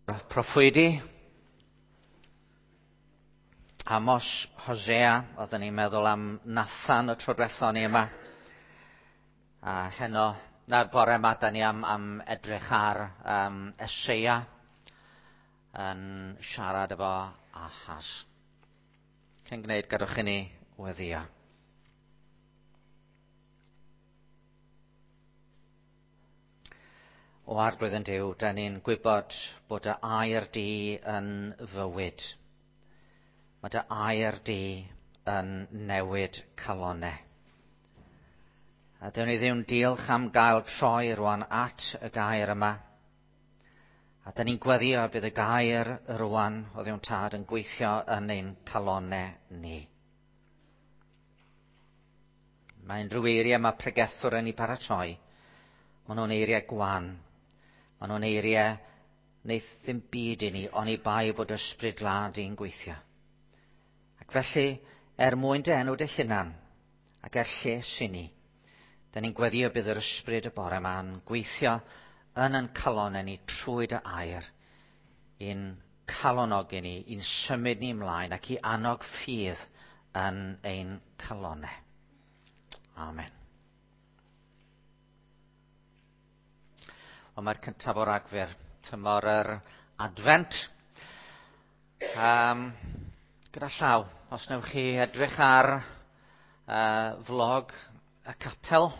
Proffwydi, Amos, Hosea, oedden ni'n meddwl am Nathan y tro diwethaf ni yma. A heno, na'r bore yma, da ni am, am edrych ar um, Eseia yn siarad efo Ahaz. Cyn gwneud, gadwch i ni weddio. O Arglwydd yn Duw, da ni'n gwybod bod y air di yn fywyd. Mae dy air di yn newid calonau. A dyn ni ddim diolch am gael troi rwan at y gair yma. A dyn ni'n gweddio bydd y gair rwan o ddiwn tad yn gweithio yn ein calonau ni. Mae unrhyw eiriau mae pregethwr yn ei paratoi. Maen nhw'n eiriau gwan. Maen nhw'n eiriau wneith ddim byd i ni, oni bai bod ysbryd glân di'n gweithio. Ac felly, er mwyn dy enw dy hunan, ac er lles i ni, da ni'n gweddio bydd yr ysbryd y bore yma'n gweithio yn yn calonau ni trwy dy air, i'n calonogi ni, i'n symud ni ymlaen ac i annog ffydd yn ein calonau. Amen. Wel, mae'r cyntaf o Ragfyr, tymor yr Advent. Um, gyda llaw, os newch chi edrych ar uh, vlog y capel,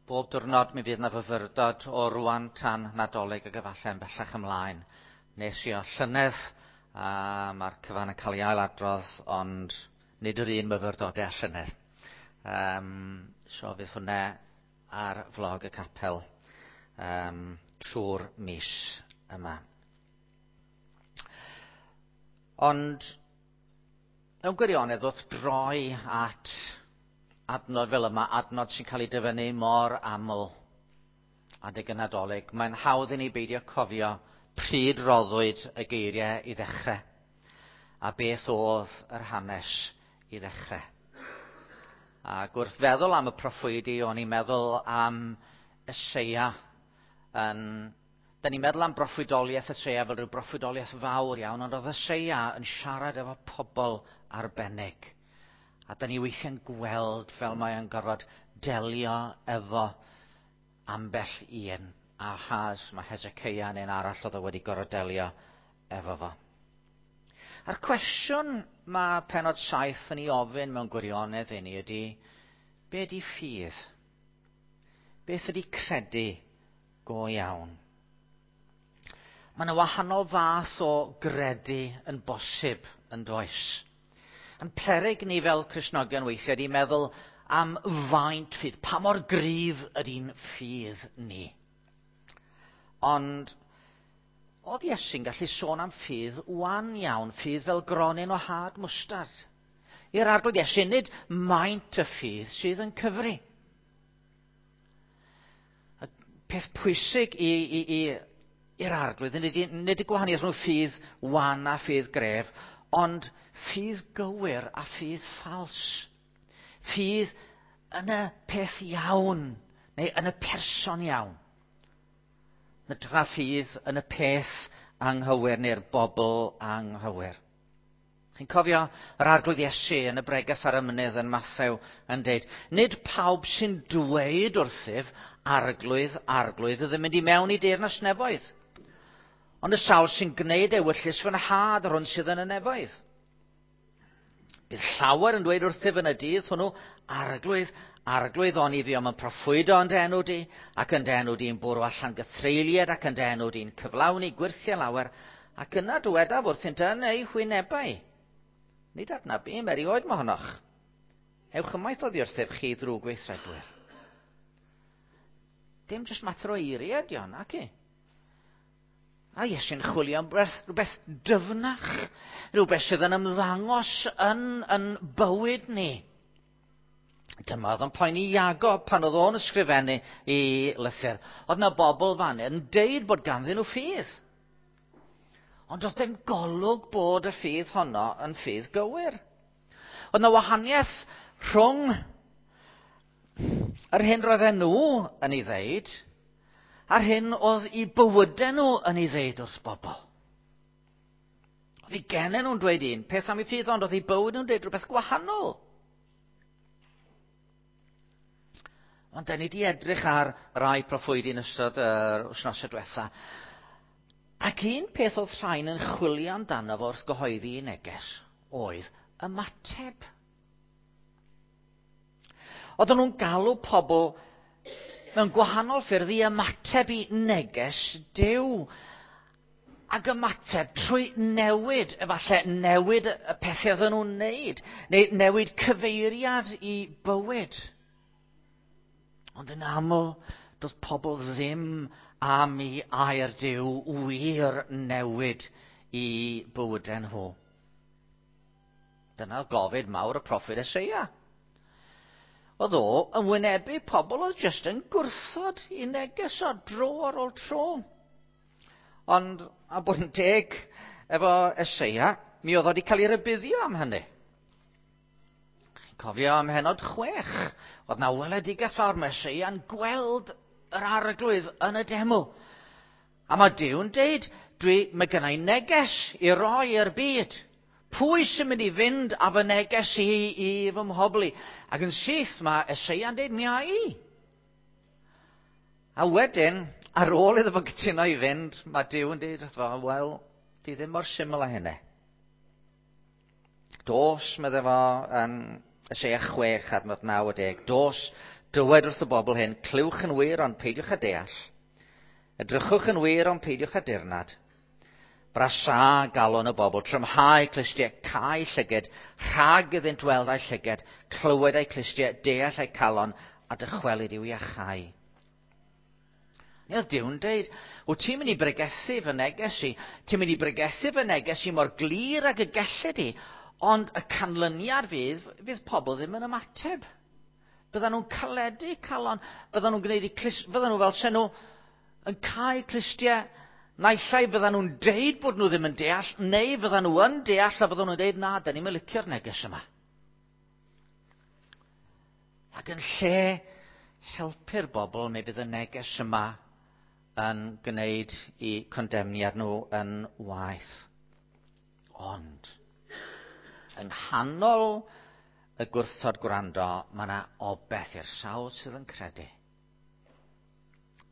bob diwrnod mi fydd yna fyfyrdod o rwan tan Nadolig ac efallai yn bellach ymlaen. Nes i o llynedd, a mae'r cyfan yn cael ei ailadrodd, ond nid yr un myfyrdodau â llynedd. Um, so fydd hwnna ar vlog y capel um, trwy'r mis yma. Ond mewn gwirionedd wrth droi at adnod fel yma, adnod sy'n cael ei dyfynnu mor aml adeg y Nadolig, mae'n hawdd i ni beidio cofio pryd roddwyd y geiriau i ddechrau a beth oedd yr hanes i ddechrau. Ac wrth feddwl am y proffwydi, o'n i'n meddwl am Eseia. Yn, da ni'n meddwl am broffwydoliaeth Eseia fel rhyw broffwydoliaeth fawr iawn, ond oedd Eseia yn siarad efo pobl arbennig. A da ni weithiau'n gweld fel mae o'n gorfod delio efo ambell un. Ahaz, mae Hezekiah neu'n arall oedd o wedi gorfod delio efo fo. A'r cwestiwn mae penod 7 yn ei ofyn mewn gwirionedd i ni ydy, be ydy ffydd? Beth ydy credu go iawn? Mae yna wahanol fath o gredu yn bosib yn does. Yn peryg ni fel Cristnogion weithiau ydy meddwl am faint ffydd, pa mor gryf ydy'n ffydd ni. Ond oedd Iesu'n gallu sôn am ffydd wan iawn, ffydd fel gronyn o had mwstard. I'r arglwydd Iesu, nid maint y ffydd sydd yn cyfri. Y peth pwysig i, i, i, i'r arglwydd, nid, nid y gwahaniaeth rhwng ffydd wan a ffydd gref, ond ffydd gywir a ffydd ffals. Ffydd yn y peth iawn, neu yn y person iawn. Na tra ffydd yn y peth anghywir neu'r bobl anghywir. Chi'n cofio yr arglwydd Iesu yn y bregath ar y mynydd yn Mathew yn deud, nid pawb sy'n dweud wrthyf, arglwydd, arglwydd, fydd yn mynd i mewn i deyrnas nefoedd. Ond y sawl sy'n gwneud ewyllys fy nhad yr hwn sydd yn y nefoedd. Bydd llawer yn dweud wrthyf yn y dydd hwnnw, arglwydd, arglwydd, oni fi om yn proffwydo yn dy enw di, ac yn dy enw di'n bwrw allan gythreuliad, ac yn dy enw di'n cyflawni gwyrthiau lawer, ac yna dywedaf wrthynt yn eu hwynebau. Nid adnabum erioed mohonoch. Ewch ymaith oddi wrthyf chi ddrwg weithredwyr. Dim jyst mater o eiriau ydi hon, ac i. A Iesu'n chwilio am rhywbeth, rhywbeth dyfnach, rhywbeth sydd yn ymddangos yn, yn bywyd ni. Dyma oedd yn poeni Iago pan oedd o'n ysgrifennu i lythyr. Oedd yna bobl fan yn deud bod ganddyn nhw ffydd. Ond oedd dim golwg bod y ffydd honno yn ffydd gywir. Oedd yna wahaniaeth rhwng yr hyn roedden nhw yn ei ddeud a'r hyn oedd i bywydau nhw yn ei ddeud wrth bobl. Oedd eu gennau nhw'n dweud un peth am eu ffydd, ond oedd eu bywyd nhw'n dweud rhywbeth gwahanol. Ond da ni wedi edrych ar rai proffwydi yn ystod yr wythnosau diwetha. Ac un peth oedd rhain yn chwilio amdano fo wrth gyhoeddi ei neges oedd ymateb. Oedden nhw'n galw pobl mewn gwahanol ffyrdd i ymateb i neges Duw. Ac ymateb trwy newid, efallai newid y pethau oedden nhw'n wneud, neu newid cyfeiriad i bywyd. Ond yn aml, doedd pobl ddim am i air Duw wir newid i bywydau nhw. Dyna gofid mawr y proffwyd Eseia. Oedd o yn wynebu pobl oedd jyst yn gwrthod i neges o dro ar ôl tro. Ond, a bod yn deg efo Eseia, mi oedd o wedi cael ei rybuddio am hynny. Cofio am henod 6, oedd na weledigaeth fawr, mae Eseia'n gweld yr arglwydd yn y deml. A mae Duw'n deud, dwi, mae gennau neges i roi i'r byd. Pwy sy'n mynd i fynd â fy neges i i fy mhobl i? Ac yn syth mae Eseia'n deud, mi a i. A wedyn, ar ôl iddo fo gytuno i fynd, mae Duw yn deud wrtho fo, wel, di ddim mor syml â hynny. Dos, medde fo, yn Eseia 6, adnod 90, dos, dywed wrth y bobl hyn, clywch yn wir ond peidiwch â deall. Edrychwch yn wir ond peidiwch â dirnad. Brasa galon y bobl, trymhau clustiau, cau llyged, rhag iddynt weld a'u llyged, clywed a'u clustiau, deall a'u calon, a dychwelyd i'w iachau. Neu oedd Duw'n deud, wyt ti'n mynd i bregethu fy neges i, ti'n mynd i bregethu fy neges i mor glir ag y gelli di, ond y canlyniad fydd, fydd pobl ddim yn ymateb. Byddan nhw'n caledu calon, byddan nhw'n gwneud i clust, byddan nhw fel se nhw yn cau clustiau, naill ai byddan nhw'n deud bod nhw ddim yn deall, neu fyddan nhw yn deall a byddan nhw'n deud, na, da ni'n licio'r neges yma. Ac yn lle helpu'r bobl, mi fydd y neges yma yn gwneud i condemniad nhw yn waeth. Ond, yng nghanol y gwrthod gwrando, mae yna obeth i'r sawl sydd yn credu.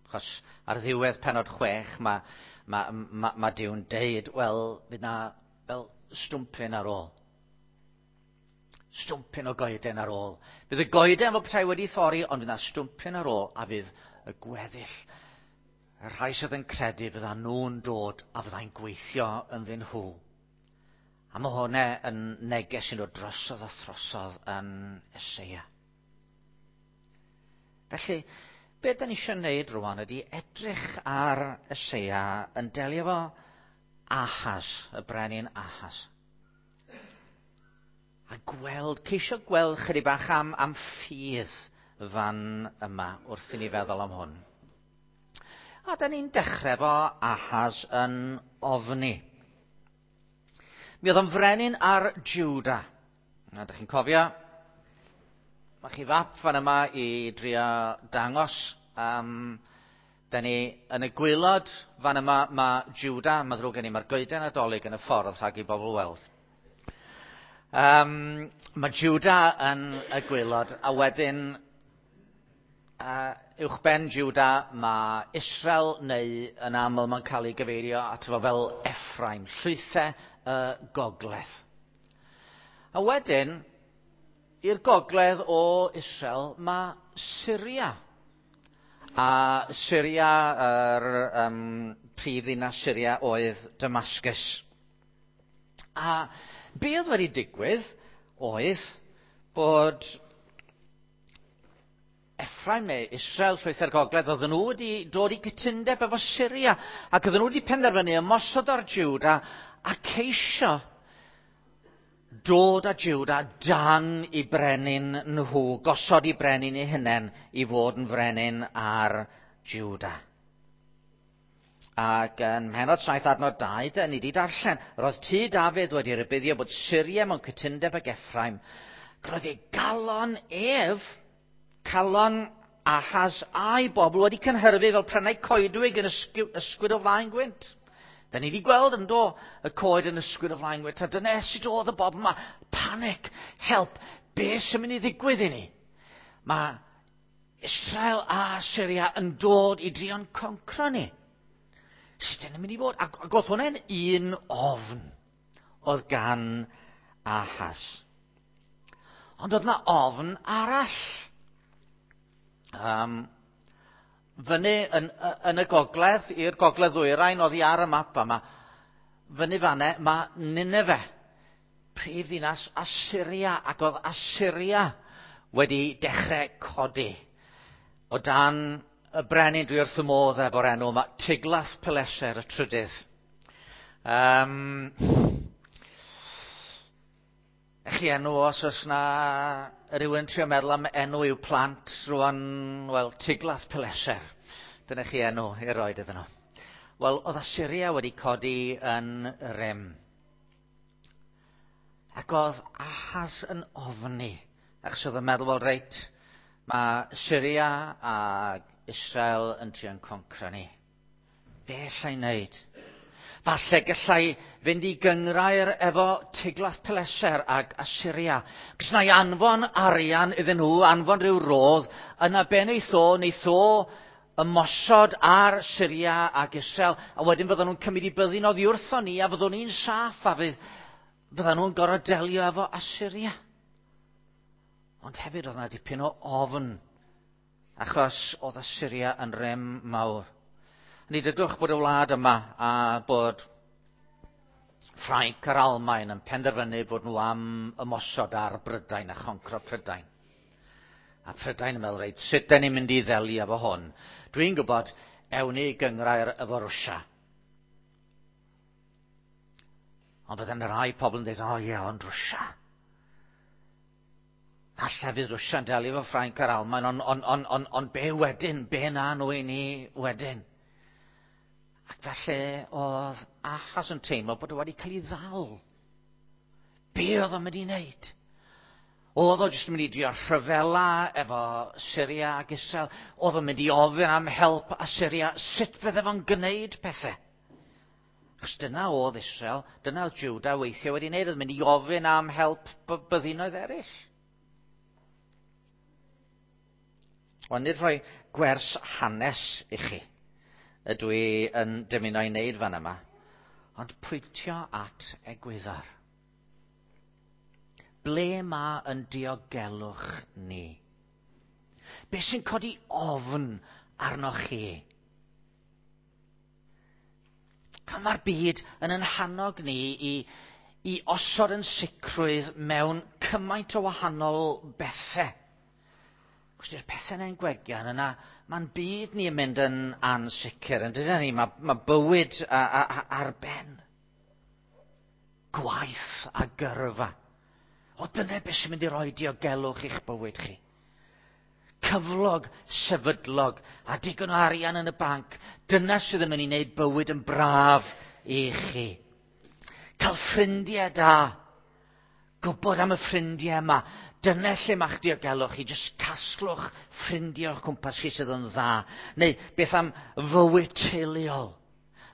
Achos ar ddiwedd penod 6, mae, mae, mae, mae Duw'n deud, wel, fydd na fel stwmpyn ar ôl. Stwmpyn o goeden ar ôl. Fydd y goeden fel petai wedi thorri, ond fydd na stwmpyn ar ôl, a fydd y gweddill, y rhai sydd yn credu, fydda nhw'n dod a fyddai'n gweithio ynddyn nhw. A mae hwnna yn neges sy'n dod drosodd a throsodd yn Eseia. Felly, beth da ni eisiau gwneud rwan ydy edrych ar Eseia yn delio efo Ahaz, y brenin Ahaz. A gweld, ceisio gweld chydig bach am, am ffydd fan yma wrth i ni feddwl am hwn. A da ni'n dechrau efo Ahaz yn ofni. Mi oedd o'n frenin ar Juda. A da chi'n cofio, mae chi fap fan yma i drio dangos. Da ni yn y gwaelod fan yma mae Juda, mae ddrwg gen i, mae'r goeden Nadolig yn y ffordd rhag i bobl weld. Mae Juda yn y gwaelod, a wedyn uwchben Juda mae Israel, neu yn aml mae'n cael ei gyfeirio ato fo fel Ephraim, llwythau y gogledd. A wedyn, i'r gogledd o Israel mae Syria. A Syria, yr prif ddinas Syria oedd Damascus. A be oedd wedi digwydd oedd bod Ephraim neu Israel, llwythau'r gogledd, oedden nhw wedi dod i gytundeb efo Syria, ac oedden nhw wedi penderfynu ymosod ar Juda a ceisio dod â Juda dan i brenin nhw, gosod i brenin eu hunain i fod yn frenin ar Juda. Ac yn mhenod 7 adnod 2, da ni wedi darllen, roedd tŷ Dafydd wedi rhybuddio bod Syria mewn cytundeb ag Ephraim. Roedd ei galon ef, calon Ahaz a'i bobl wedi cynhyrfu fel prennau coedwig yn ysgwyd o flaen gwynt. Da ni wedi gweld yn do y coed yn ysgwyd o flaen gwynt, a dyna sut oedd y bobl yma. Panic, help, be sy'n mynd i ddigwydd i ni? Mae Israel a Syria yn dod i drio'n concro ni. Sut yn mynd i fod? Ac oedd hwnna'n un ofn oedd gan Ahaz. Ond oedd yna ofn arall. Fyny yn y gogledd, i'r gogledd ddwyrain, oddi ar y map yma, fyny fanne, mae Nineveh, prif ddinas Assyria, ac oedd Assyria wedi dechrau codi. O dan y brenin, dwi wrth y modd efo'r enw yma, Tiglath-Pileser y trydydd. Chi enw os oes na rhywun trio meddwl am enw i'w plant rwan, wel, Tiglath-Pileser. Dyna chi enw i roed iddyn nhw. Wel, oedd Assyria wedi codi yn rym. Ac oedd Ahaz yn ofni, achos oedd yn meddwl, wel, reit, mae Syria a Israel yn trio'n concro ni. Be allai wneud? Falle gallai fynd i gynghrair efo Tiglath-Pileser ag Assyria. Cos na i anfon arian iddyn nhw, anfon rhyw rodd, yna be wneith o, wneith o ymosod ar Syria ag Israel, a wedyn fydden nhw'n cymryd i byddin oddi wrthon ni, a fyddwn ni'n saff, a fydden nhw'n gorfod delio efo Assyria. Ond hefyd oedd yna dipyn o ofn, achos oedd Assyria yn rym mawr. Ni dydwch bod y wlad yma a bod Ffrainc a'r Almaen yn penderfynu bod nhw am ymosod ar Brydain a choncro Prydain. A Prydain yn meddwl, reit, sut da ni'n mynd i ddelio efo hwn? Dwi'n gwybod, ewn ni gynghrair efo Rwsia. Ond bydden rhai pobl yn dweud, o ie, ond Rwsia. Falle fydd Rwsia'n delio efo Ffrainc a'r Almaen, ond be wedyn? Be na nhw i ni wedyn? Ac felly oedd Ahaz yn teimlo bod o wedi cael ei ddal. Be oedd o'n mynd i wneud? Oedd o jyst yn mynd i drio rhyfela efo Syria ac Israel? Oedd o'n mynd i ofyn am help Assyria? Sut fydde fo'n gwneud pethau? Achos dyna oedd Israel, dyna oedd Juda weithiau wedi wneud, oedd mynd i ofyn am help byddinoedd eraill. Wel, nid rhoi gwers hanes i chi ydw i yn dymuno i wneud fan yma, ond pwyntio at egwyddor. Ble mae yn diogelwch ni? Be sy'n codi ofn arnoch chi? A mae'r byd yn ein hannog ni i osod yn sicrwydd mewn cymaint o wahanol bethau. Cos di'r pethau yna'n gwegian yna, mae'n byd ni yn mynd yn ansicr, yn dydyn ni? Mae bywyd ar ben. Gwaith a gyrfa. O, dyna beth sy'n mynd i roi diogelwch i'ch bywyd chi. Cyflog sefydlog a digon o arian yn y banc. Dyna sydd yn mynd i wneud bywyd yn braf i chi. Cael ffrindiau da. Gwybod am y ffrindiau yma. Dyna lle mae'ch diogelwch chi. Jyst casglwch ffrindiau o'ch cwmpas chi sydd yn dda. Neu beth am fywyd teuluol.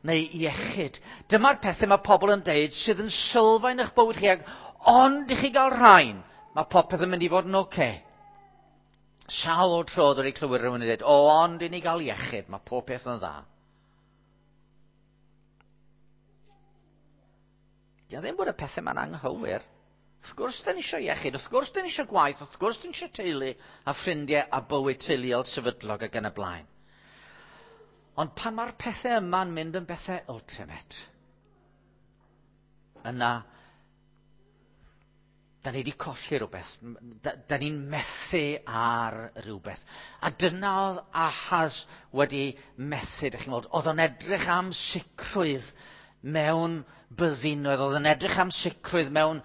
Neu iechyd. Dyma'r pethau mae pobl yn deud sydd yn sylfaen eich bywyd chi. Ac ond i chi gael rhain, mae popeth yn mynd i fod yn oce. Sawl tro dwi wedi clywed rhywun yn dweud, o, ond i ni gael iechyd, mae pob peth yn dda. Di o ddim bod y pethau yma'n anghywir. Wrth gwrs, da ni eisiau iechyd, wrth gwrs, da ni eisiau gwaith, wrth gwrs, da ni eisiau teulu a ffrindiau a bywyd teuluol sefydlog ac yn y blaen. Ond pan mae'r pethau yma'n mynd yn bethau ultimate, yna, da ni wedi colli rhywbeth. Da ni'n methu ar rhywbeth. A dyna oedd Ahaz wedi methu, dych chi'n gweld. Oedd o'n edrych am sicrwydd mewn byddinoedd, oedd o'n edrych am sicrwydd mewn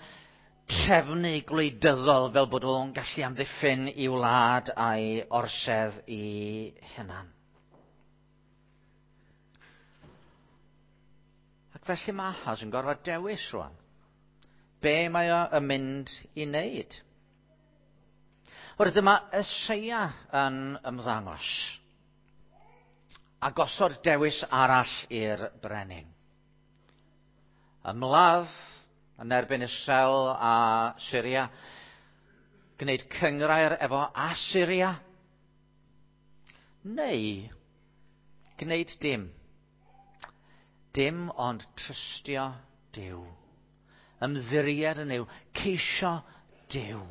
trefnu gwleidyddol fel bod o'n gallu amddiffyn i wlad a'i orsedd i hunan. Ac felly mae Ahaz yn gorfod dewis rwan. Be mae o yn mynd i wneud? Oherwydd dyma Eseia yn ymddangos a gosod dewis arall i'r brenin. Ymladd yn erbyn Israel a Syria, gwneud cynghrair efo Asyria, neu gwneud dim. Dim ond trystio Duw. Ymddiried yn Nuw, ceisio Duw.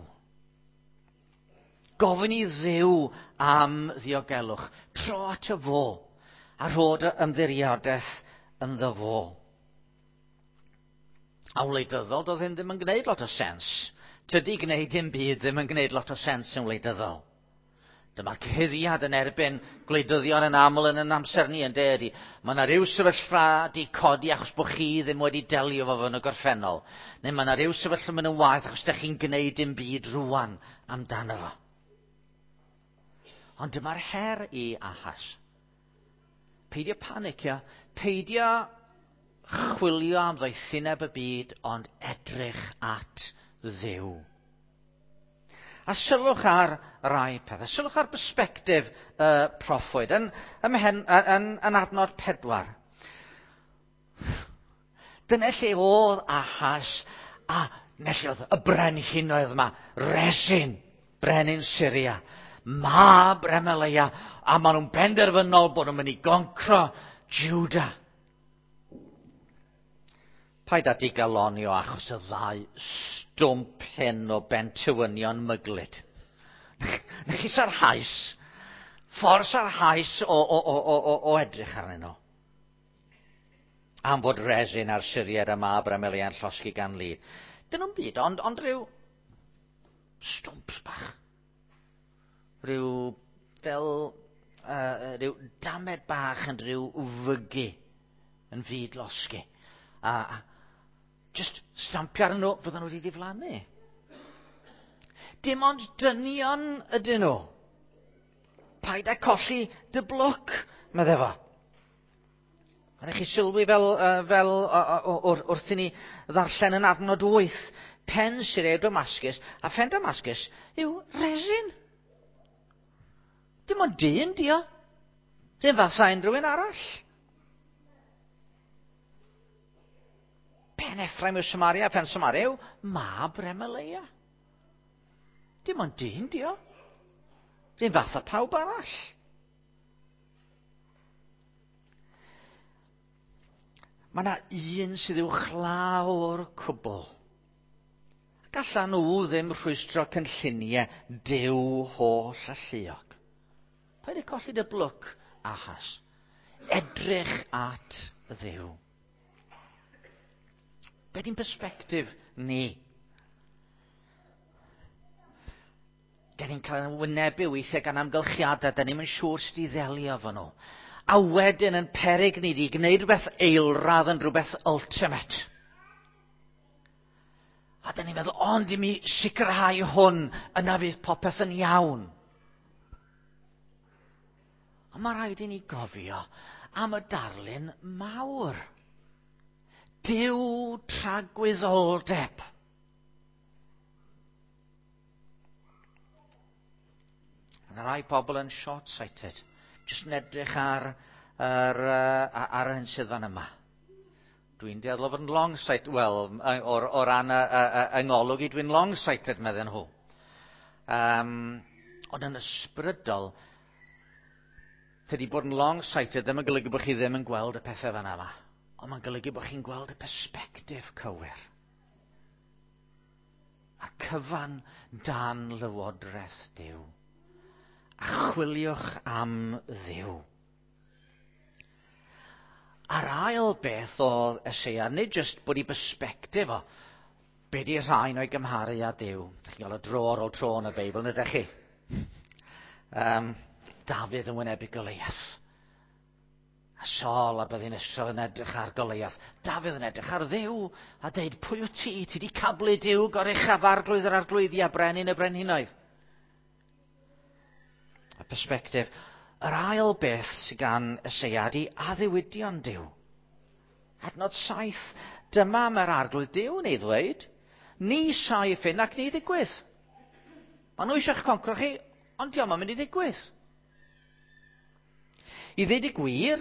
Gofyn i Dduw am ddiogelwch. Tro at y fo a rhod y ymddiriadaeth ynddo fo. A wleidyddol, doedd hyn ddim yn gwneud lot o sens. Tydi gwneud dim byd ddim yn gwneud lot o sens yn wleidyddol. Dyma'r cyhuddiad yn erbyn gwleidyddion yn aml yn yn amser ni yn de ydy. Mae yna rhyw sefyllfa di codi achos bod chi ddim wedi delio fo yn y gorffennol. Neu mae yna rhyw sefyllfa mynd yn waeth achos ydych chi'n gwneud dim byd rwan amdano fo. Ond dyma'r her i Ahas. Peidio panicio, peidio chwilio am ddoethineb y byd, ond edrych at Dduw. A sylwch ar rai pethau. Sylwch ar bersbectif y proffwyd. Yn, ymhen, yn, yn adnod 4. Dyna lle oedd Ahas a lle oedd y brenhinoedd yma. Resin, brenin Syria. Mab Remaleia. A maen nhw'n benderfynol bod nhw'n mynd i goncro Juda. Paid â digaloni o achos y ddau stwmp hyn o bentywynion myglyd. Na chi sarhaus, ffordd sarhaus o, o, o, o, o, o edrych arnyn nhw. Am fod resin a'r Syriad a mab Remelia'n llosgi gan lid. Dyn nhw'n byd, ond, ond rhyw stwmps bach. Rhyw fel rhyw damed bach yn rhyw fygu yn fyd losgi. A just stampio arnyn nhw, fydden nhw wedi diflannu. Dim ond dynion ydyn nhw. Paid â colli dy blwc, medde fo. A chi sylwi fel, fel wrth i ni ddarllen yn adnod 8, pen Syria Damascus, a phen Damascus yw resin. Dim ond dyn, dio. Dim fatha unrhyw un arall. Pen Ephraim yw Samaria, pen Samaria yw mab Remaleia. Dim ond dyn, dio. Dim fatha pawb arall. Mae yna un sydd uwchlaw o'r cwbl. Gallan nhw ddim rhwystro cynlluniau Duw holl alluog. Paid â colli dy blwc, Ahas. Edrych at Dduw. Be di'n perspectif ni? Da ni'n cael ein wynebu weithiau gan amgylchiadau, da ni'n siŵr sut i ddelio efo nhw. A wedyn yn peryg ni di gwneud rhywbeth eilradd yn rhywbeth ultimate. A da ni'n meddwl, ond i mi sicrhau hwn, yna fydd popeth yn iawn. Ond mae rhaid i ni gofio am y darlun mawr. Duw tragwyddoldeb. Mae rai pobl yn short-sighted. Jyst yn edrych ar, ar, ar yr hyn sydd fan yma. Dwi'n dueddol o fod yn long-sighted. Wel, o, o ran y, y, y, yng ngolwg i, dwi'n long-sighted, medden nhw. Ond yn ysbrydol, tydi bod yn long-sighted ddim yn golygu bod chi ddim yn gweld y pethau fan yma. Ond mae'n golygu bod chi'n gweld y perspectif cywir. A cyfan dan lywodraeth Duw. A chwiliwch am Dduw. A'r ail beth oedd Eseia, nid jyst bod i bersbectif o, be di rhain o'i gymharu â Duw. Dych chi'n cael y dro ar ôl tro yn y Beibl, nid ydych chi? Dafydd yn wynebu Goliath. A Saul a byddin Israel yn edrych ar Goliath. Dafydd yn edrych ar Dduw a deud, pwy wyt ti? Ti di cablu Duw goruchaf arglwydd yr arglwyddi a brenin y brenhinoedd. Y perspectif. Yr ail beth sydd gan Eseia ydy addewidion Duw. Adnod 7. Dyma mae'r arglwydd Duw yn ei ddweud. Ni saif hyn ac ni ddigwydd. Maen nhw eisiau'ch concro chi, ond diolch yn mynd i ddigwydd. I ddweud y gwir,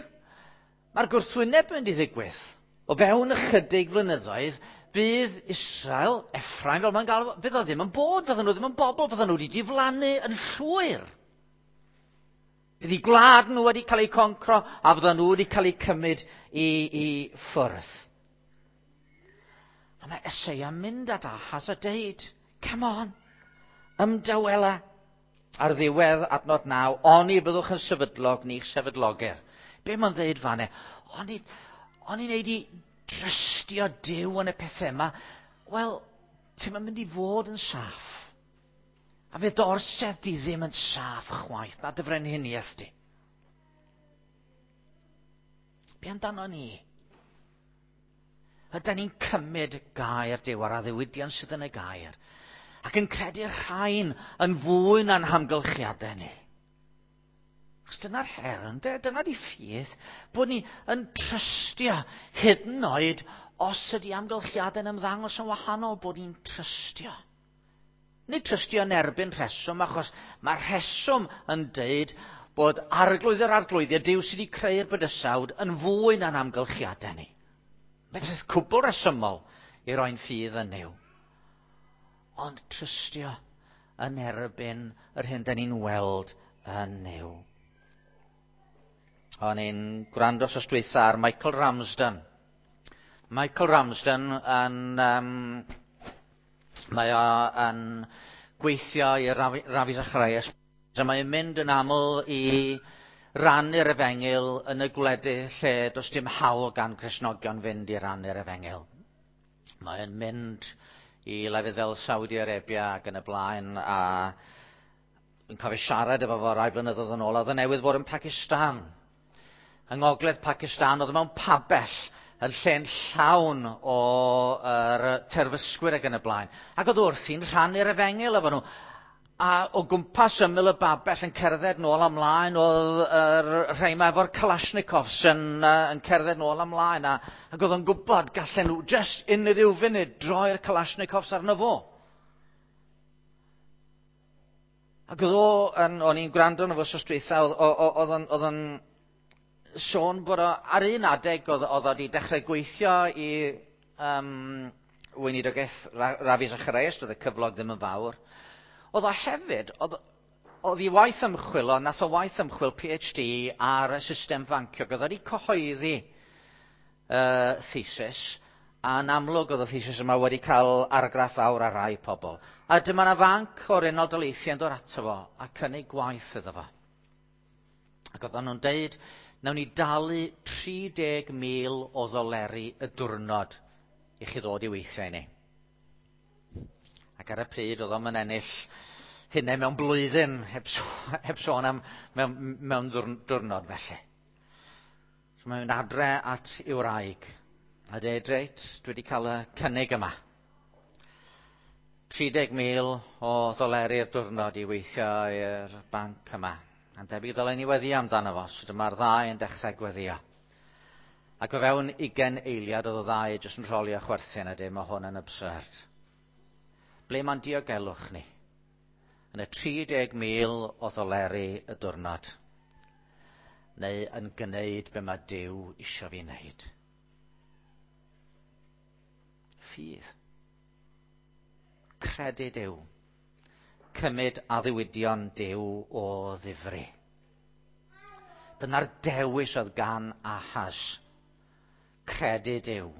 mae'r gwrthwyneb yn mynd i ddigwydd. O fewn ychydig flynyddoedd, bydd Israel, Ephraim, fel mae'n galw, bydd o ddim yn bod, fydden nhw ddim yn bobl, fydden nhw wedi diflannu yn llwyr. Bydd eu gwlad nhw wedi cael eu concro, a fydden nhw wedi cael eu cymryd i ffwrdd. A mae Eseia mynd at Ahaz a deud, come on, ymdawela. Ar ddiwedd adnod 9, oni byddwch yn sefydlog ni'ch sefydlogir. Be mae'n ddeud fanne? Oni wneud i drystio Duw yn y pethau yma? Wel, ti'n mynd i fod yn saff. A fe dorsedd di ddim yn saff chwaith, na dy frenhiniaeth di. Be amdano ni? Ydy ni'n cymryd gair Duw a'r addewidion sydd yn y gair, ac yn credu'r rhain yn fwy na'n hamgylchiadau ni? Achos dyna'r her, ynde? Dyna di ffydd, bod ni yn trystio hyd yn oed os ydy amgylchiadau'n ymddangos yn wahanol, bod ni'n trystio. Nid trystio yn erbyn rheswm, achos mae'r rheswm yn deud bod arglwydd yr arglwyddiau, Duw sydd wedi creu'r bydysawd, yn fwy na'n amgylchiadau ni. Mae'n beth cwbl resymol i roi'n ffydd yn Nuw. Ond trystio yn erbyn yr hyn da ni'n weld yn Nuw. O'n i'n gwrando wsos dwytha ar Michael Ramsden. Michael Ramsden yn... mae o yn gweithio i Ravi Zacharias. A mae'n mynd yn aml i rannu'r efengyl yn y gwledydd lle does dim hawl gan Gristnogion fynd i rannu'r efengyl. Mae'n mynd i lefydd fel Saudi Arabia ac yn y blaen, a yn cofio siarad efo fo rai blynyddoedd yn ôl, oedd yn newydd fod yn Pakistan. Yng ngogledd Pakistan, oedd mewn pabell yn lle'n llawn o'r terfysgwyr ac yn y blaen. Ac oedd wrthi'n rhannu'r efengyl efo nhw. A o gwmpas ymyl y babell yn cerdded nôl ymlaen, oedd yr rhai yma efo'r Kalashnikovs yn cerdded nôl ymlaen. Ac oedd o'n gwybod gallen nhw just unrhyw funud droi'r Kalashnikovs arno fo. Ac oedd o, o'n i'n gwrando arno fo wsos dwytha, oedd o'n sôn bod o, ar un adeg oedd o wedi dechrau gweithio i weinidogaeth Ravi Zacharias, doedd y cyflog ddim yn fawr. Oedd o hefyd, oedd i waith ymchwil, o, nath o waith ymchwil PhD ar y system fancio, oedd wedi cyhoeddi thesis, a yn amlwg oedd y thesis yma wedi cael argraff fawr ar rai pobl. A dyma na fanc o'r Unol Daleithiau yn dod ato fo a cynnig gwaith iddo fo. Ac oedden nhw'n deud, nawn ni dalu $30,000 o ddoleri y diwrnod i chi ddod i weithio i ni. Ac ar y pryd oedd o'n ennill hynny mewn blwyddyn, heb sôn am mewn diwrnod felly. So mae'n mynd adre at i'w wraig a dweud, reit, dwi wedi cael y cynnig yma. $30,000 o ddoleri'r diwrnod i weithio i'r banc yma. A'n debyg ddylen ni weddio amdano fo, so dyma'r ddau yn dechrau gweddio. Ac o fewn 20 eiliad oedd y ddau jyst yn rholio chwerthin a dweud, mae hwn yn absurd. Ble mae'n diogelwch ni? Yn y $30,000 o ddoleri y diwrnod. Neu yn gwneud be mae Duw isio fi wneud. Ffydd. Credu Duw. Cymryd addewidion Duw o ddifri. Dyna'r dewis oedd gan Ahaz. Credu Duw.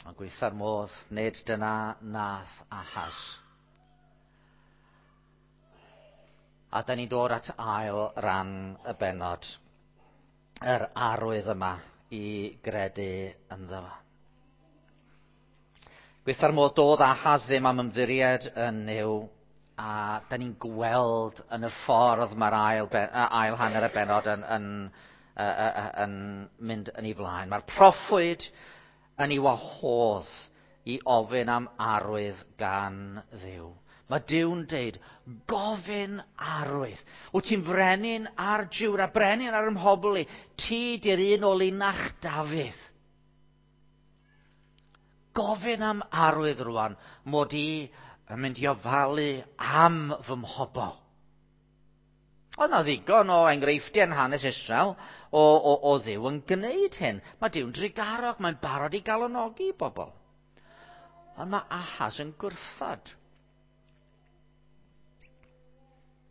Ond gweitha'r modd, nid dyna nath Ahaz. A da ni'n dod at ail ran y bennod. Yr arwydd yma i gredu ynddo fo. Gweitha'r modd doedd Ahaz ddim am ymddiried yn Nuw, a da ni'n gweld yn y ffordd mae'r ail hanner y bennod yn mynd yn ei flaen. Mae'r proffwyd yn ei wahodd i ofyn am arwydd gan Dduw. Mae Duw'n deud, gofyn arwydd. Wyt ti'n frenin ar Jwda, brenin ar ymhobl i. Ti di'r un o linach Dafydd. Gofyn am arwydd rwan, mod i yn mynd i ofalu am fy mhobl. Oedd 'na ddigon o enghreifftiau yn hanes Israel o Dduw yn gwneud hyn. Mae Duw'n drugarog, mae'n barod i galonogi bobl. Ond mae Ahaz yn gwrthod.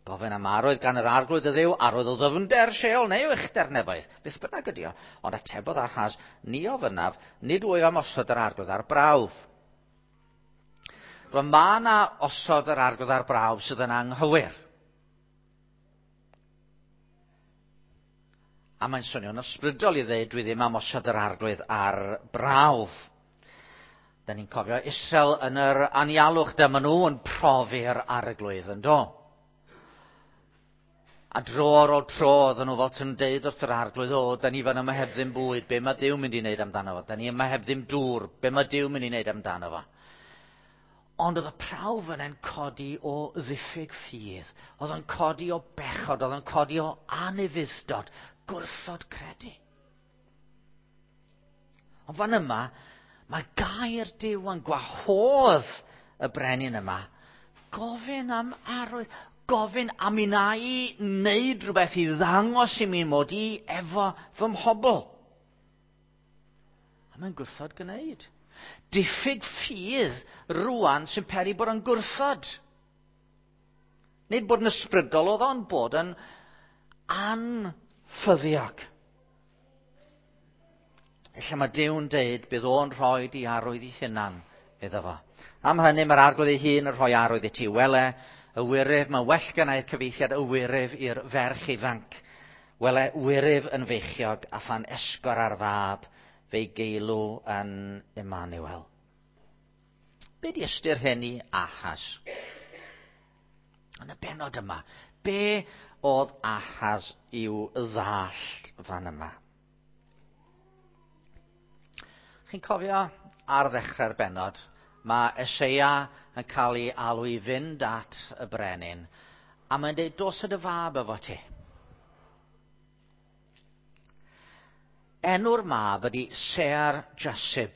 Gofyn am arwydd gan yr arglwydd y Dduw, arwydd o ddyfnder Sheol neu o uchder nefoedd. Beth bynnag ydi o. Ond atebodd Ahaz, ni ofynnaf, nid wyf am osod yr arglwydd ar brawf. Rwan mae yna osod yr arglwydd ar brawf sydd yn anghywir. A mae'n swnio'n ysbrydol i ddweud dwi ddim am osod yr arglwydd ar brawf. Da ni'n cofio Israel yn yr anialwch, dyma nhw yn profi'r arglwydd yn do. A dro ar ôl tro, oedden nhw fel yn deud wrth yr arglwydd, o, da ni fan yma heb ddim bwyd, be mae Duw mynd i wneud amdano fo? Da ni yma heb ddim dŵr, be mae Duw mynd i wneud amdano fo? Ond oedd y prawf yna'n codi o ddiffyg ffydd, oedd o'n codi o bechod, oedd o'n codi o anufudd-dod, gwrthod credu. Ond fan yma, mae gair Duw yn gwahodd y brenin yma, gofyn am arwydd, gofyn am i na i wneud rhywbeth i ddangos i mi mod i efo fy mhobl. A mae'n gwrthod gwneud. Diffyg ffydd rwan sy'n peri bod yn gwrthod. Nid bod yn ysbrydol oedd o'n bod yn anffyddiog. Ella mae Duw'n deud bydd o'n rhoi di arwydd i hunan iddo fo. Am hynny mae'r arglwydd ei hun yn rhoi arwydd i ti. Wele, y wyryf, mae well gennai'r cyfieithiad y wyryf i'r ferch ifanc. Wele, wyryf yn feichiog a phan esgor ar fab, fe'i geilw yn Emmanuel. Be di ystyr hyn i Ahaz? Yn y benod yma, be oedd Ahaz i'w ddallt fan yma? Chi'n cofio ar ddechrau'r benod, mae Eseia yn cael ei alw i fynd at y brenin, a mae'n dweud, dos â dy fab efo ti. Enw'r mab ydy Sear Jasib.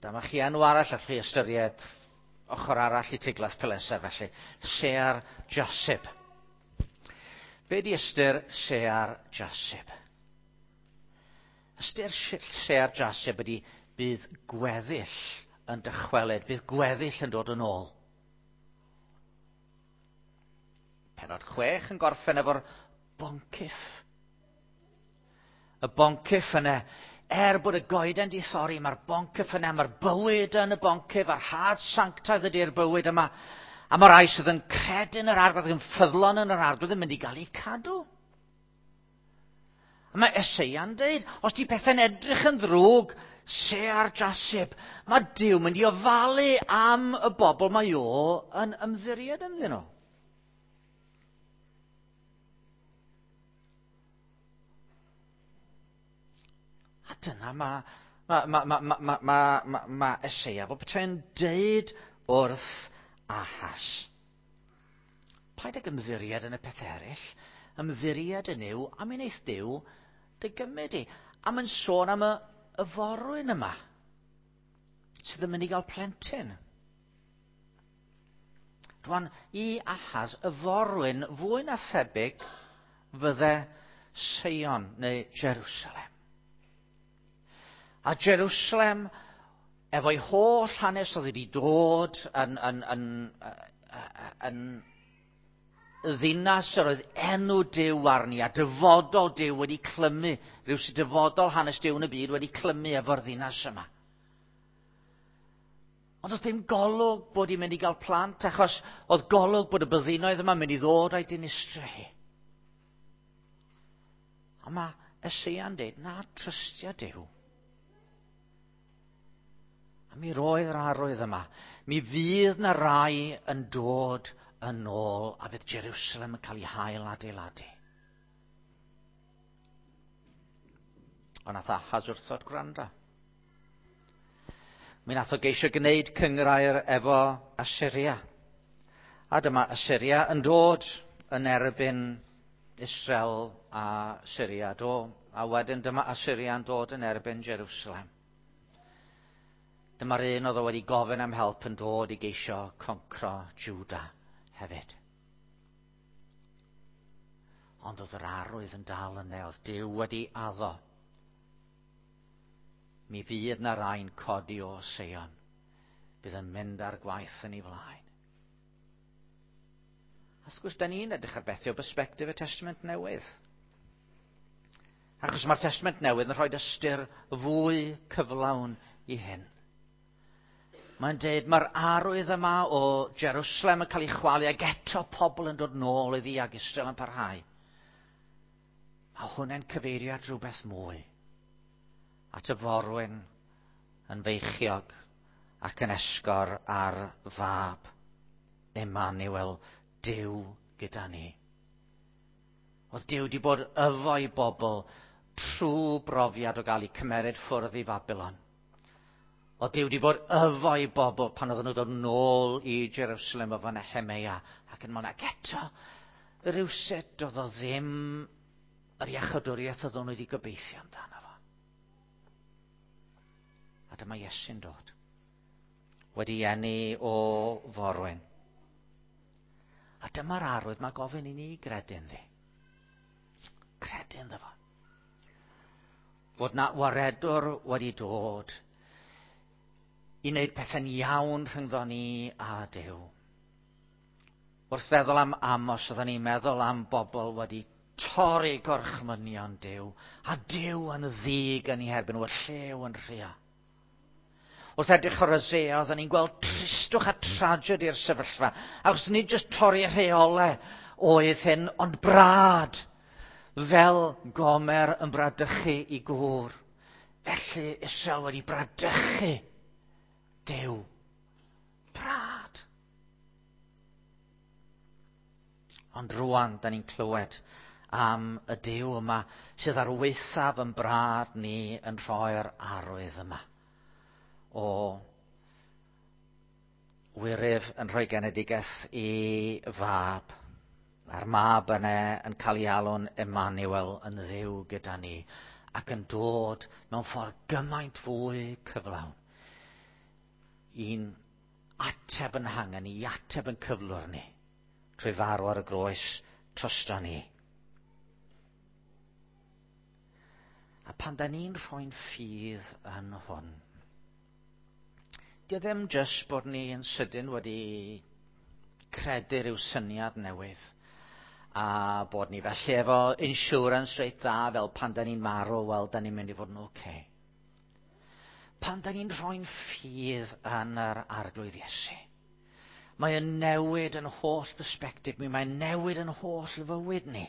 Dyma chi enw arall allwch chi ystyried ochr arall i Tiglath Pileser felly. Sear Jasib. Be di ystyr Sear Jasib? Ystyr Sear Jasib ydy bydd gweddill yn dychwelyd, bydd gweddill yn dod yn ôl. Penod 6 yn gorffen efo'r boncyff. Y boncyff yna, er bod y goeden di thorri, mae'r boncyff yna, mae'r bywyd yn y boncyff, a'r had sanctaidd ydy'r bywyd yma. A mae'r rhai sydd yn credu yn yr arglwydd, yn ffyddlon yn yr arglwydd, yn mynd i gael eu cadw. A mae Eseia'n deud, os di pethau'n edrych yn ddrwg, Sear Jasib, mae Duw mynd i ofalu am y bobl mae o yn ymddiried ynddyn nhw. A dyna mae Eseia fel petai'n deud wrth Ahaz. Paid ag ymddiried yn y peth eraill, ymddiried yn Nuw, a mi wneith Duw dy gymryd i. A mae'n sôn am y forwyn yma, sydd yn mynd i gael plentyn. Rwan, i Ahaz, y forwyn fwy na thebyg fydde Seion neu Jerusalem. A Jerusalem, efo'i holl hanes oedd wedi dod yn ddinas yr oedd enw Duw arni, a dyfodol Duw wedi clymu, rhyw sydd dyfodol hanes Duw yn y byd wedi clymu efo'r ddinas yma. Ond oedd dim golwg bod hi'n mynd i gael plant, achos oedd golwg bod y byddinoedd yma'n mynd i ddod a'i dinistrio hi. A mae Eseia'n dweud, na, trystia Duw. A mi roedd yr arwydd yma. Mi fydd na rai yn dod yn ôl a fydd Jerusalem yn cael ei hail adeiladu. Ond nath Ahaz wrthod gwrando. Mi nath o geisio gwneud cynghrair efo Assyria. A dyma Assyria yn dod yn erbyn Israel a Syria. Do, a wedyn dyma Assyria yn dod yn erbyn Jerusalem. Dyma'r un oedd o wedi gofyn am help yn dod i geisio concro Juda hefyd. Ond oedd yr arwydd yn dal yna, oedd Duw wedi addo. Mi fydd na rai'n codi o Seion. Bydd yn mynd ar gwaith yn ei flaen. A wrth gwrs, da ni'n edrych ar bethau o bersbectif y Testament Newydd. Achos mae'r Testament Newydd yn rhoi ystyr fwy cyflawn i hyn. Mae'n dweud mae'r arwydd yma o Jerusalem yn cael ei chwalu ac eto pobl yn dod nôl iddi ac Israel yn parhau. Mae hwnna'n cyfeirio at rhywbeth mwy. At y forwyn yn feichiog ac yn esgor ar fab. Emmanuel, Duw gyda ni. Oedd Duw wedi bod efo'i bobl trwy brofiad o gael eu cymeryd ffwrdd i Babylon. Oedd Duw wedi bod efo'i bobl pan oedden nhw dod nôl i Jerusalem efo Nehemia ac yn mlaen. Ac eto, rhywsut oedd o ddim yr iachawdwriaeth oedd nhw wedi gobeithio amdano fo. A dyma Iesu'n dod. Wedi eni o forwyn. A dyma'r arwydd mae gofyn i ni gredu ynddi. Credu ynddo fo. Fod na waredwr wedi dod i wneud pethau'n iawn rhyngddo ni a Duw. Wrth feddwl am Amos, oedden ni'n meddwl am bobl wedi torri gorchmynion Duw, a Duw yn ddig yn ei herbyn, y llew yn rhia. Wrth edrych ar Hosea, oedden ni'n gweld tristwch a tragedy i'r sefyllfa. Achos nid jyst torri rheolau oedd hyn, ond brad. Fel Gomer yn bradychu i gŵr. Felly Israel wedi bradychu Duw. Brad. Ond rwan, da ni'n clywed am y Duw yma sydd ar waethaf yn brad ni yn rhoi'r arwydd yma o wyryf yn rhoi genedigaeth i fab. A'r mab yna yn cael ei alw'n Emmanuel, yn Dduw gyda ni, ac yn dod mewn ffordd gymaint fwy cyflawn. I'n ateb yn hangen ni, i ateb yn cyflwr ni, trwy farw ar y groes drosto ni. A pan da ni'n rhoi'n ffydd yn hwn, Dio ddim jyst bod ni yn sydyn wedi credu rhyw syniad newydd a bod ni felly efo insurance reit dda fel pan da ni'n marw, wel, da ni'n mynd i fod yn oce. Okay. Pan da ni'n rhoi'n ffydd yn yr Arglwydd Iesu, mae yn newid yn holl perspectif mi, mae'n newid yn holl fywyd ni.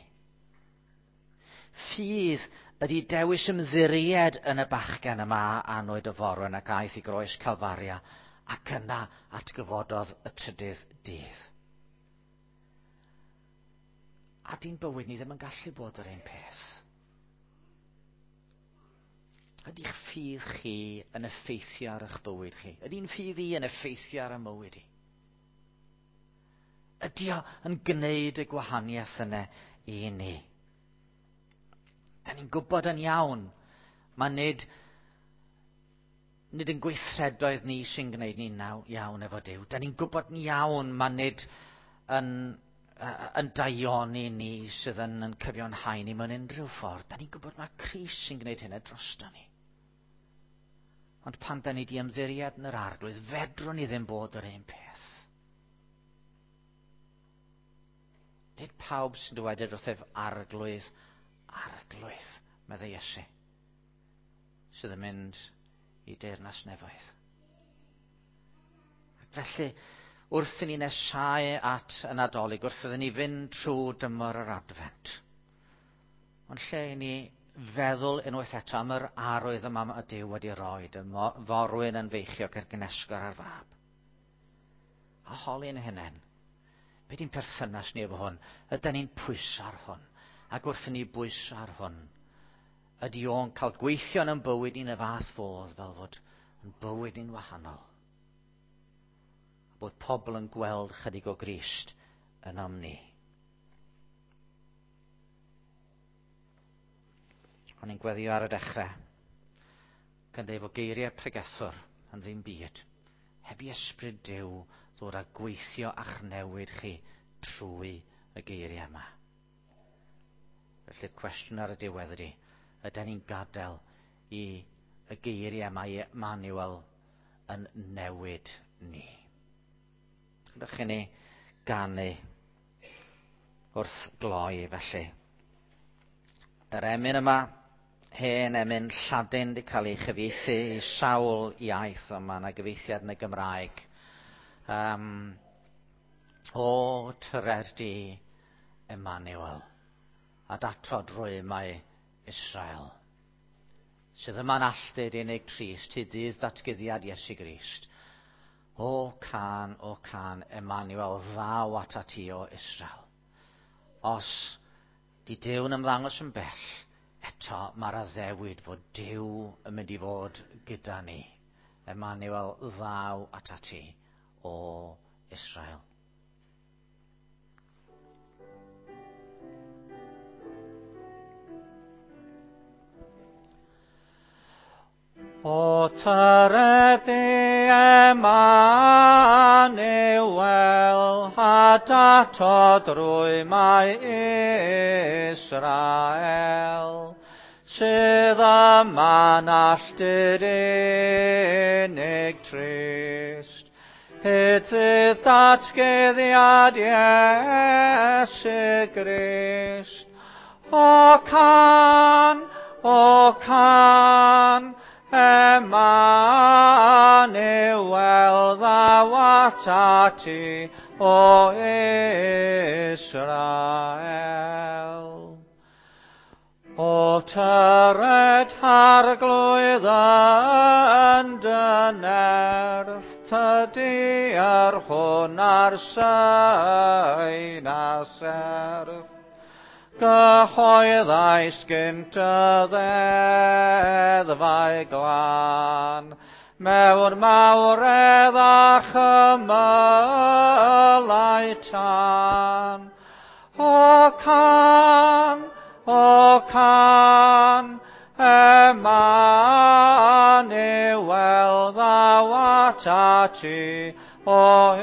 Ffydd ydy dewis ymddiried yn y bachgen yma anwyd y forwyn ac aeth i groes Calfaria ac yna atgyfododd y trydydd dydd. A di'n bywyd ni ddim yn gallu bod yr un peth. Ydy'ch ffydd chi yn effeithio ar eich bywyd chi? Ydy'n ffydd i yn effeithio ar y mywyd i? Ydy o yn gwneud y gwahaniaeth yna i ni? Da ni'n gwybod yn iawn, mae nid, nid yn gweithredoedd ni sy'n gwneud ni'n iawn efo Duw. Da ni'n gwybod yn iawn, mae nid yn, yn daioni ni sydd yn, yn cyfiawnhau ni mewn unrhyw ffordd. Da ni'n gwybod mae Crist sy'n gwneud hynny drosto ni. Ond pan da ni di ymddiried yn yr Arglwydd, fedrwn ni ddim bod yr un peth. Nid pawb sy'n dywedyd wrth ef Arglwydd, Arglwydd, meddai Iesu, sydd yn mynd i deyrnas nefoedd. Ac felly, wrth i ni nesau at y Nadolig, wrth iddyn ni fynd trwy dymor yr Adfent, ond lle i ni feddwl unwaith eto am yr arwydd yma mae Duw wedi rhoi, y forwyn yn feichiog ar gnesgor ar fab. A holi'n hunain, be di'n perthynas ni efo hwn? Ydy ni'n pwyso ar hwn? Ac wrth i ni bwyso ar hwn, ydy o'n cael gweithio yn bywyd ni'n y fath fodd fel fod yn bywyd ni'n wahanol? A bod pobl yn gweld chydig o Grist yn am ni. O'n i'n gweddio ar y dechrau, gan dweud fod geiriau pregethwr yn ddim byd. Heb i ysbryd Duw ddod a gweithio a'ch newid chi trwy y geiriau yma. Felly'r cwestiwn ar y diwedd ydy, ydy ni'n gadael i y geiriau yma i Emmanuel yn newid ni? Ydych chi ni ganu wrth gloi felly. Yr emyn yma, hen emyn Lladin wedi cael ei chyfieithu i sawl iaith, ond mae yna gyfieithiad yn y Gymraeg. O tyrer di, Emmanuel, a datod rwymau Israel, sydd yma'n alltud unig trist hyd ddydd datguddiad Iesu Grist. O can, o can, Emmanuel, ddaw atat ti o Israel. Os di Duw'n ymddangos yn bell, eto mae'r addewid fod Duw yn mynd i fod gyda ni. Emmanuel, ddaw atat ti o Israel. O tyred di Emmanuel, a datod rwymau Israel, sydd yma'n alltud unig trist, hyd ddydd datguddiad Iesu Grist. O can, o can, Emmanuel, ddaw atat ti, o Israel. O tyred Arglwydd yn dy nerth, tydi yr hwn a'r sain a serth. Gyhoeddais gynt y ddeddfau glân, mewn mawredd a chymylau tân. O can, o can, Emmanuel, ddaw atat ti, o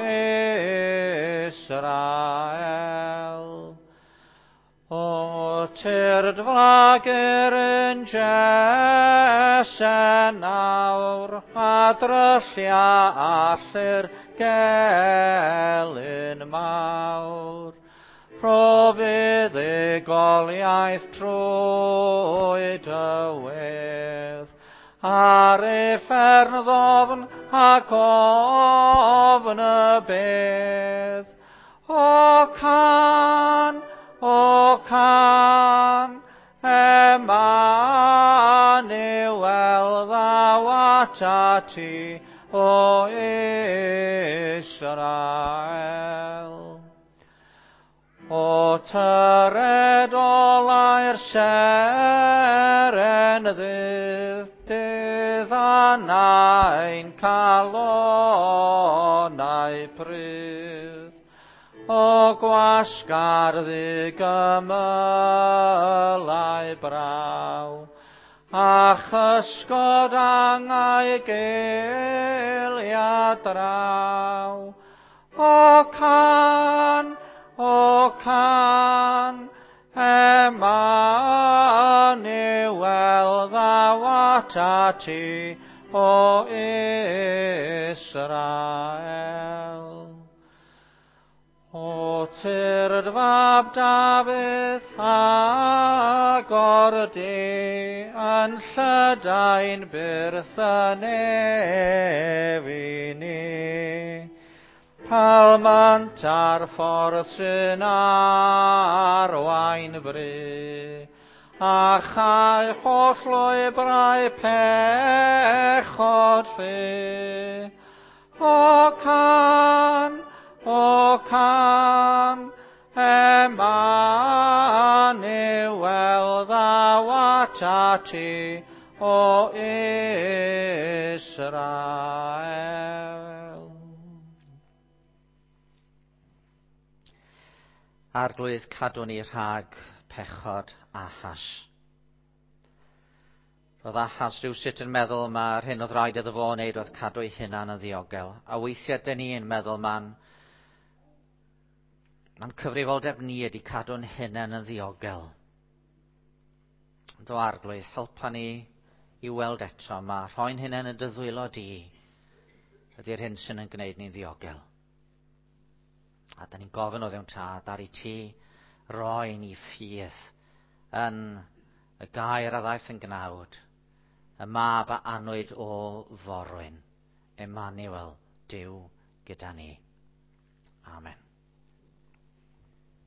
Israel. O tyrd flagur yn Jese nawr, a dryllia allu'r gelyn mawr. Rho fuddugoliaeth trwy dy wedd, ar uffern ddofn ac ofn y bedd. O can, o can, Emmanuel, ddaw atat ti, o Israel. O tyred olau'r seren ddydd, dydd anain calonau prydd. O gwasgar ddigymylau braw, a chysgod angau gelia draw. O can, o can, Emmanuel, ddaw atat ti, o Israel. O tyrd fab Dafydd, agor di, yn llydain byrth y nef i ni. Palmant ar ffordd sy'n arwain fry, a chau holl lwybrau pechod rhy. O can, o can, Emmanuel, ddaw atat ti, o Israel. Arglwydd, cadw ni rhag pechod Ahas. Roedd Ahas rhywsut yn meddwl mae'r hyn oedd rhaid iddo fo wneud oedd cadw ei hunan yn ddiogel. A weithiau dyn ni'n meddwl ma'n cyfrifoldeb ni ydy cadw'n hunan yn ddiogel. Ond o Arglwydd, helpa ni i weld eto ma rhoi'n hunan yn dy ddwylo di ydy'r hyn sy'n yn gwneud ni'n ddiogel. A da ni'n gofyn o Dduw'n Tad ar i ti roi ni ffydd yn y gair a ddaeth yn gnawd, y mab a anwyd o forwyn, Emmanuel, Duw gyda ni. Amen.